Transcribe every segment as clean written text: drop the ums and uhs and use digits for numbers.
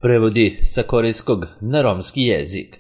Prevodi sa korejskog na romski jezik.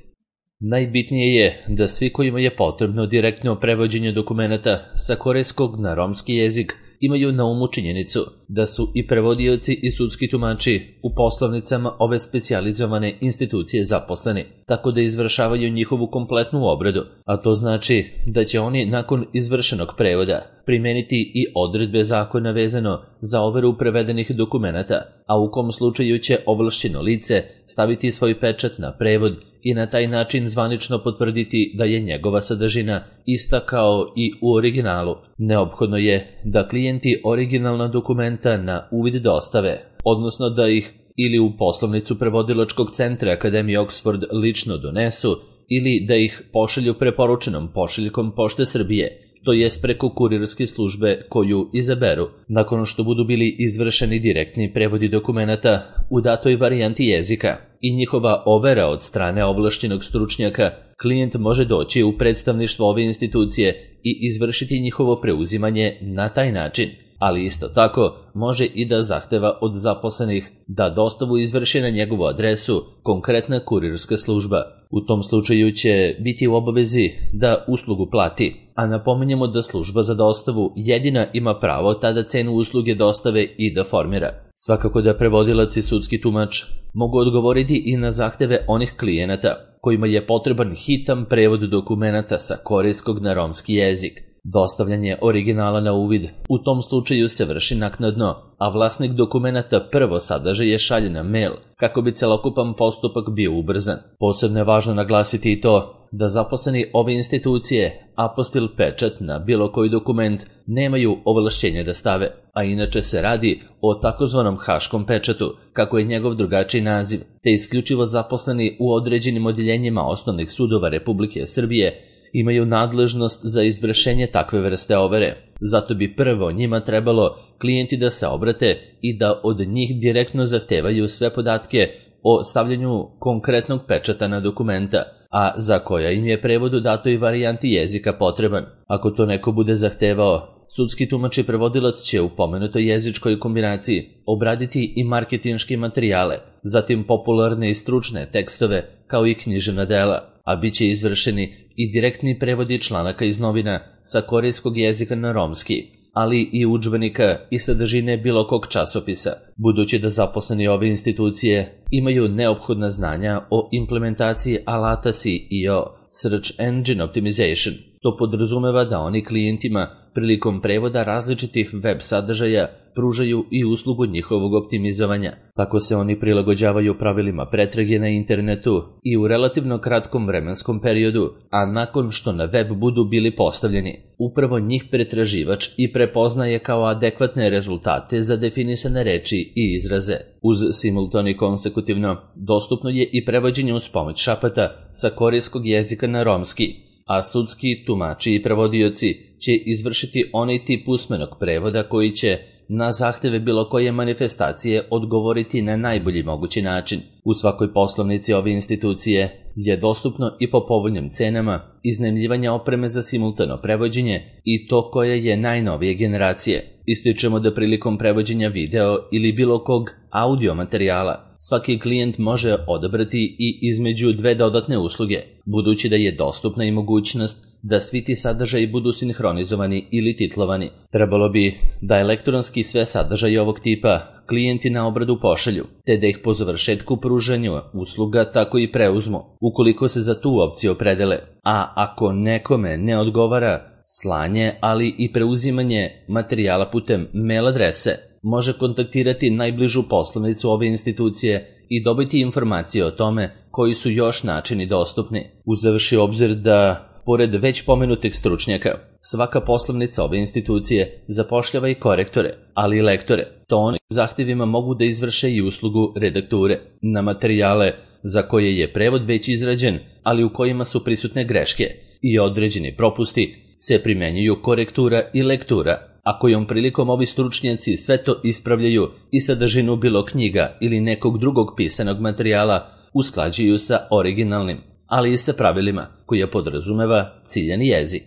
Najbitnije je da svi kojima je potrebno direktno prevođenje dokumenata sa korejskog na romski jezik imaju na umu činjenicu da su i prevodioci i sudski tumači u poslovnicama ove specijalizovane institucije zaposleni, tako da izvršavaju njihovu kompletnu obradu, a to znači da će oni nakon izvršenog prevoda primeniti i odredbe zakona vezano za overu prevedenih dokumenata, a u kom slučaju će ovlašćeno lice staviti svoj pečat na prevod i na taj način zvanično potvrditi da je njegova sadržina ista kao i u originalu. Neophodno je da klijenti originalna dokumenta na uvid dostave, odnosno da ih ili u poslovnicu prevodilačkog centra Akademije Oxford lično donesu ili da ih pošalju preporučenom pošiljkom Pošte Srbije, to jest preko kurirske službe koju izaberu. Nakon što budu bili izvršeni direktni prevodi dokumenata u datoj varijanti jezika i njihova overa od strane ovlašćenog stručnjaka, klijent može doći u predstavništvo ove institucije i izvršiti njihovo preuzimanje na taj način, ali isto tako može i da zahteva od zaposlenih da dostavu izvrši na njegovu adresu konkretna kurirska služba. U tom slučaju će biti u obavezi da uslugu plati, a napominjemo da služba za dostavu jedina ima pravo tada cenu usluge dostave i da formira. Svakako da prevodilac i sudski tumač mogu odgovoriti i na zahteve onih klijenata kojima je potreban hitan prevod dokumenata sa korejskog na romski jezik. Dostavljanje originala na uvid u tom slučaju se vrši naknadno, a vlasnik dokumenata prvo sadržaje šalje na mail kako bi celokupan postupak bio ubrzan. Posebno je važno naglasiti i to da zaposleni ove institucije apostil pečat na bilo koji dokument nemaju ovlašćenje da stave, a inače se radi o takozvanom haškom pečatu, kako je njegov drugačiji naziv, te isključivo zaposleni u određenim odjeljenjima osnovnih sudova Republike Srbije imaju nadležnost za izvršenje takve vrste overe. Zato bi prvo njima trebalo klijenti da se obrate i da od njih direktno zahtevaju sve podatke o stavljanju konkretnog pečata na dokumenta, a za koja im je prevod u datoj varijanti jezika potreban. Ako to neko bude zahtevao, sudski tumač i prevodilac će u pomenutoj jezičkoj kombinaciji obraditi i marketinške materijale, zatim popularne i stručne tekstove kao i književna dela, a bit će izvršeni i direktni prevodi članaka iz novina sa korejskog jezika na romski, ali i udžbenika i sadržine bilo kog časopisa. Budući da zaposleni ove institucije imaju neophodna znanja o implementaciji alata SEO, Search Engine Optimization, to podrazumeva da oni klijentima prilikom prevoda različitih web sadržaja pružaju i uslugu njihovog optimizovanja. Tako se oni prilagođavaju pravilima pretrage na internetu i u relativno kratkom vremenskom periodu, a nakon što na web budu bili postavljeni, upravo njih pretraživač i prepoznaje kao adekvatne rezultate za definisane reči i izraze. Uz simultano i konsekutivno dostupno je i prevođenje uz pomoć šapata sa korejskog jezika na romski, a sudski tumači i prevodioci će izvršiti onaj tip usmenog prevoda koji će na zahteve bilo koje manifestacije odgovoriti na najbolji mogući način. U svakoj poslovnici ove institucije je dostupno i po povoljnim cenama iznajmljivanja opreme za simultano prevođenje i to koje je najnovije generacije. Ističemo da prilikom prevođenja video ili bilo kog audio materijala svaki klijent može odabrati i između dve dodatne usluge, budući da je dostupna i mogućnost da svi ti sadržaji budu sinhronizovani ili titlovani. Trebalo bi da elektronski sve sadržaje ovog tipa klijenti na obradu pošalju, te da ih po završetku pružanja usluga tako i preuzmu, ukoliko se za tu opciju opredele. A ako nekome ne odgovara slanje, ali i preuzimanje materijala putem mail adrese, može kontaktirati najbližu poslovnicu ove institucije i dobiti informacije o tome koji su još načini dostupni. Uzevši obzir da pored već pomenutih stručnjaka, svaka poslovnica ove institucije zapošljava i korektore, ali i lektore. To oni zahtjevima mogu da izvrše i uslugu redakture na materijale za koje je prevod već izrađen, ali u kojima su prisutne greške i određeni propusti, se primenjuju korektura i lektura, a kojom prilikom ovi stručnjaci sve to ispravljaju i sadržinu bilo knjiga ili nekog drugog pisanog materijala usklađuju sa originalnim, ali i sa pravilima koje podrazumeva ciljani jezik.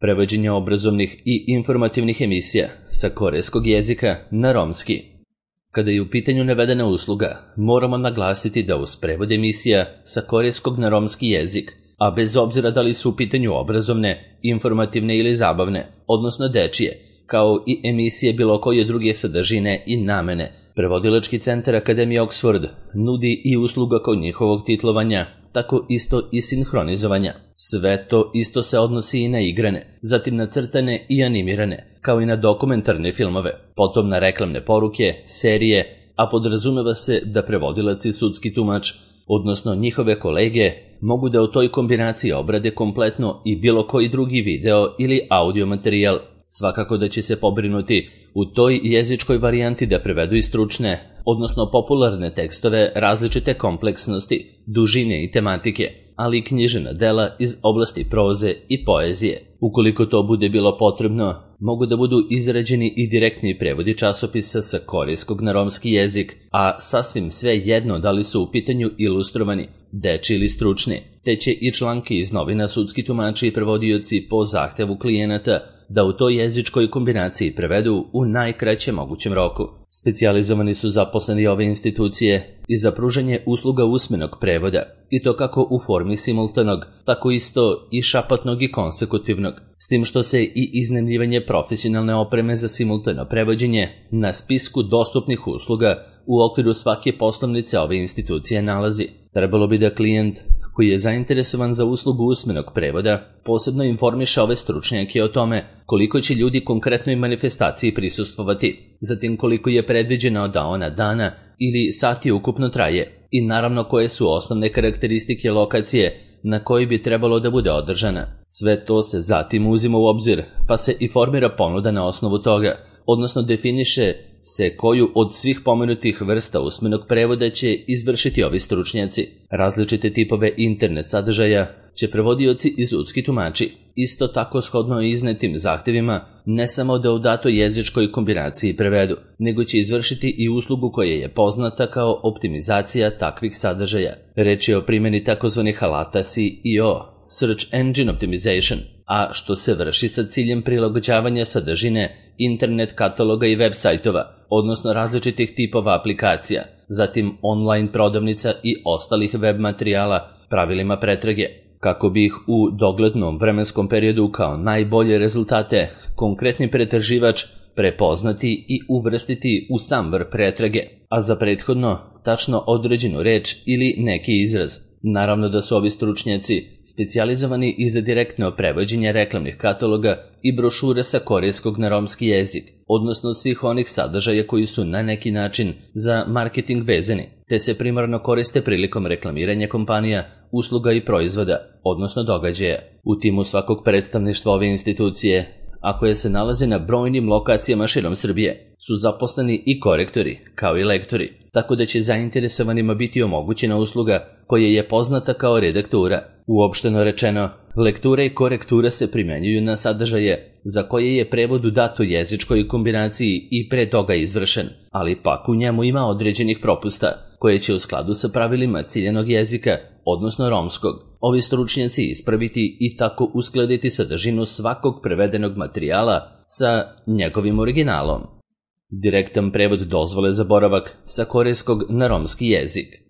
Prevođenje obrazovnih i informativnih emisija sa korejskog jezika na romski. Kada je u pitanju navedena usluga, moramo naglasiti da uz prevod emisija sa korejskog na romski jezik, a bez obzira da li su u pitanju obrazovne, informativne ili zabavne, odnosno dečije, kao i emisije bilo koje druge sadržine i namene, Prevodilački centar Akademije Oxford nudi i usluga kod njihovog titlovanja, tako isto i sinhronizovanja. Sve to isto se odnosi i na igrane, zatim na crtane i animirane, kao i na dokumentarne filmove, potom na reklamne poruke, serije, a podrazumeva se da prevodilac i sudski tumač, odnosno njihove kolege, mogu da u toj kombinaciji obrade kompletno i bilo koji drugi video ili audio materijal. Svakako da će se pobrinuti u toj jezičkoj varijanti da prevedu i stručne, odnosno popularne tekstove različite kompleksnosti, dužine i tematike, ali i književna dela iz oblasti proze i poezije. Ukoliko to bude bilo potrebno, mogu da budu izrađeni i direktni prevodi časopisa sa korejskog na romski jezik, a sasvim sve jedno da li su u pitanju ilustrovani, dečiji ili stručni, te će i članke iz novina sudski tumači i prevodioci po zahtevu klijenata da u toj jezičkoj kombinaciji prevedu u najkraćem mogućem roku. Specijalizovani su zaposleni ove institucije i za pružanje usluga usmenog prevoda, i to kako u formi simultanog, tako isto i šapatnog i konsekutivnog, s tim što se i iznajmljivanje profesionalne opreme za simultano prevođenje na spisku dostupnih usluga u okviru svake poslovnice ove institucije nalazi. Trebalo bi da klijent koji je zainteresovan za uslugu usmenog prevoda posebno informiše ove stručnjake o tome koliko će ljudi konkretnoj manifestaciji prisustvovati, zatim koliko je predviđeno da ona dana ili sati ukupno traje i naravno koje su osnovne karakteristike lokacije na kojoj bi trebalo da bude održana. Sve to se zatim uzima u obzir, pa se i formira ponuda na osnovu toga, odnosno definiše se koju od svih pomenutih vrsta usmenog prevoda će izvršiti ovi stručnjaci. Različite tipove internet sadržaja će prevodioci i sudski tumači, isto tako shodno iznetim zahtevima, ne samo da u datoj jezičkoj kombinaciji prevedu, nego će izvršiti i uslugu koja je poznata kao optimizacija takvih sadržaja. Reč je o primjeni takozvanih alata SEO, Search Engine Optimization, a što se vrši sa ciljem prilagođavanja sadržine internet kataloga i web sajtova, odnosno različitih tipova aplikacija, zatim online prodavnica i ostalih web materijala pravilima pretrage, kako bi ih u doglednom vremenskom periodu kao najbolje rezultate konkretni pretraživač prepoznati i uvrstiti u sam vrh pretrage, a za prethodno tačno određenu reč ili neki izraz. Naravno da su ovi stručnjaci specijalizovani i za direktno prevođenje reklamnih kataloga i brošure sa korejskog na romski jezik, odnosno svih onih sadržaja koji su na neki način za marketing vezani, te se primarno koriste prilikom reklamiranja kompanija, usluga i proizvoda, odnosno događaja. U timu svakog predstavništva ove institucije, a koje se nalaze na brojnim lokacijama širom Srbije, su zaposleni i korektori, kao i lektori, tako da će zainteresovanima biti omogućena usluga koja je poznata kao redaktura. Uopšteno rečeno, lektura i korektura se primenjuju na sadržaje za koje je prevod u datoj jezičkoj kombinaciji i pre toga izvršen, ali pak u njemu ima određenih propusta, koje će u skladu sa pravilima ciljanog jezika, odnosno romskog, ovi stručnjaci ispraviti i tako uskladiti sadržinu svakog prevedenog materijala sa njegovim originalom. Direktan prevod dozvole za boravak sa korejskog na romski jezik.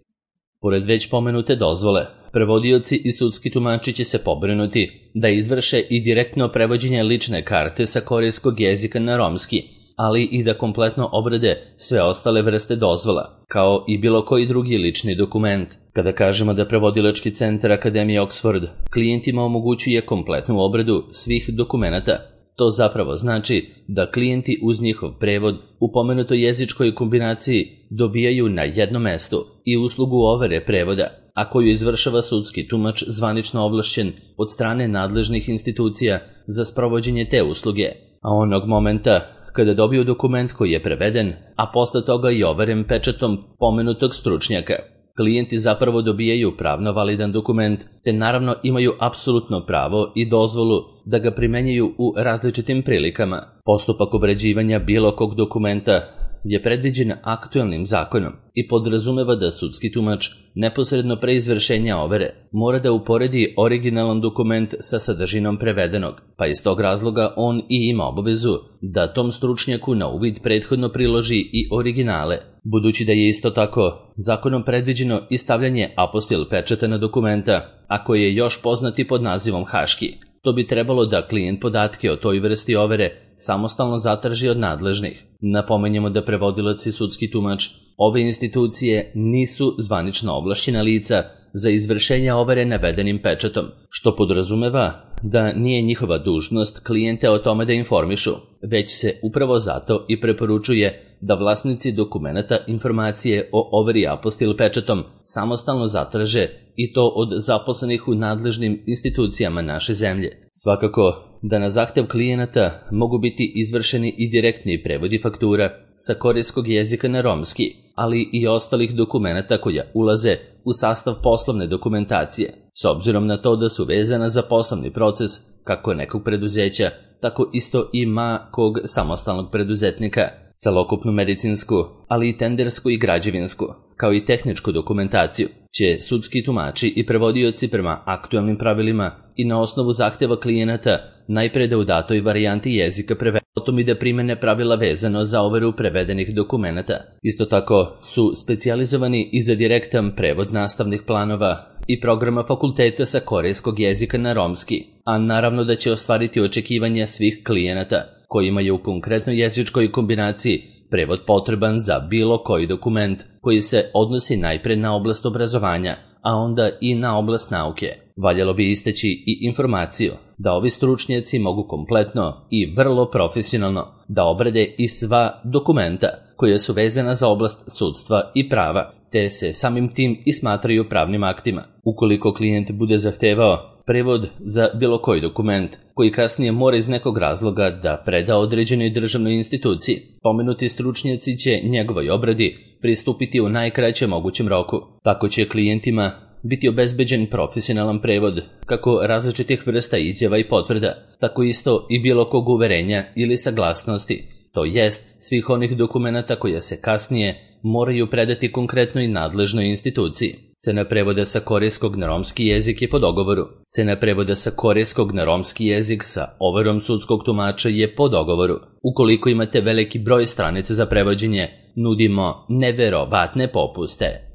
Pored već pomenute dozvole, prevodioci i sudski tumači će se pobrinuti da izvrše i direktno prevođenje lične karte sa korejskog jezika na romski, ali i da kompletno obrade sve ostale vrste dozvola, kao i bilo koji drugi lični dokument. Kada kažemo da Prevodilački centar Akademije Oxford klijentima omogućuje kompletnu obradu svih dokumenata, to zapravo znači da klijenti uz njihov prevod u pomenutoj jezičkoj kombinaciji dobijaju na jednom mestu i uslugu overe prevoda, a koju izvršava sudski tumač zvanično ovlašćen od strane nadležnih institucija za sprovođenje te usluge, a onog momenta kada dobiju dokument koji je preveden, a posle toga i overen pečatom pomenutog stručnjaka, klijenti zapravo dobijaju pravno validan dokument, te naravno imaju apsolutno pravo i dozvolu da ga primenjuju u različitim prilikama. Postupak obrađivanja bilo kog dokumenta je predviđen aktuelnim zakonom i podrazumeva da sudski tumač neposredno pre izvršenja overe mora da uporedi originalan dokument sa sadržinom prevedenog, pa iz tog razloga on i ima obavezu da tom stručnjaku na uvid prethodno priloži i originale, Budući da je isto tako zakonom predviđeno i stavljanje apostil pečata na dokumenta, a koji je još poznati pod nazivom haški, to bi trebalo da klijent podatke o toj vrsti overe samostalno zatraži od nadležnih. Napomenjemo da prevodilac i sudski tumač ove institucije nisu zvanično ovlašćena lica za izvršenje overe navedenim pečatom, što podrazumeva da nije njihova dužnost klijente o tome da informišu, već se upravo zato i preporučuje da vlasnici dokumenata informacije o overi apostil pečatom samostalno zatraže i to od zaposlenih u nadležnim institucijama naše zemlje. Svakako da na zahtev klijenata mogu biti izvršeni i direktni prevodi faktura sa korejskog jezika na romski, ali i ostalih dokumenata koja ulaze u sastav poslovne dokumentacije, s obzirom na to da su vezana za poslovni proces kako nekog preduzeća, tako isto i kog samostalnog preduzetnika. Celokupnu medicinsku, ali i tendersku i građevinsku, kao i tehničku dokumentaciju, će sudski tumači i prevodioci prema aktualnim pravilima i na osnovu zahteva klijenata najpre da u datoj varijanti jezika prevedu, potom i da primene pravila vezano za overu prevedenih dokumenata. Isto tako su specijalizovani i za direktan prevod nastavnih planova i programa fakulteta sa korejskog jezika na romski, a naravno da će ostvariti očekivanja svih klijenata kojima je u konkretnoj jezičkoj kombinaciji prevod potreban za bilo koji dokument koji se odnosi najpre na oblast obrazovanja, a onda i na oblast nauke. Valjalo bi istaći i informaciju da ovi stručnjaci mogu kompletno i vrlo profesionalno da obrade i sva dokumenta koja su vezana za oblast sudstva i prava, te se samim tim i smatraju pravnim aktima. Ukoliko klijent bude zahtevao prevod za bilo koji dokument koji kasnije mora iz nekog razloga da preda određenoj državnoj instituciji, pomenuti stručnjaci će njegovoj obradi pristupiti u najkraćem mogućem roku. Tako će klijentima biti obezbeđen profesionalan prevod kako različitih vrsta izjava i potvrda, tako isto i bilo kog uverenja ili saglasnosti, to jest svih onih dokumenata koja se kasnije moraju predati konkretnoj nadležnoj instituciji. Cena prevoda sa korejskog na romski jezik je po dogovoru. Cena prevoda sa korejskog na romski jezik sa overom sudskog tumača je po dogovoru. Ukoliko imate veliki broj stranica za prevođenje, nudimo neverovatne popuste.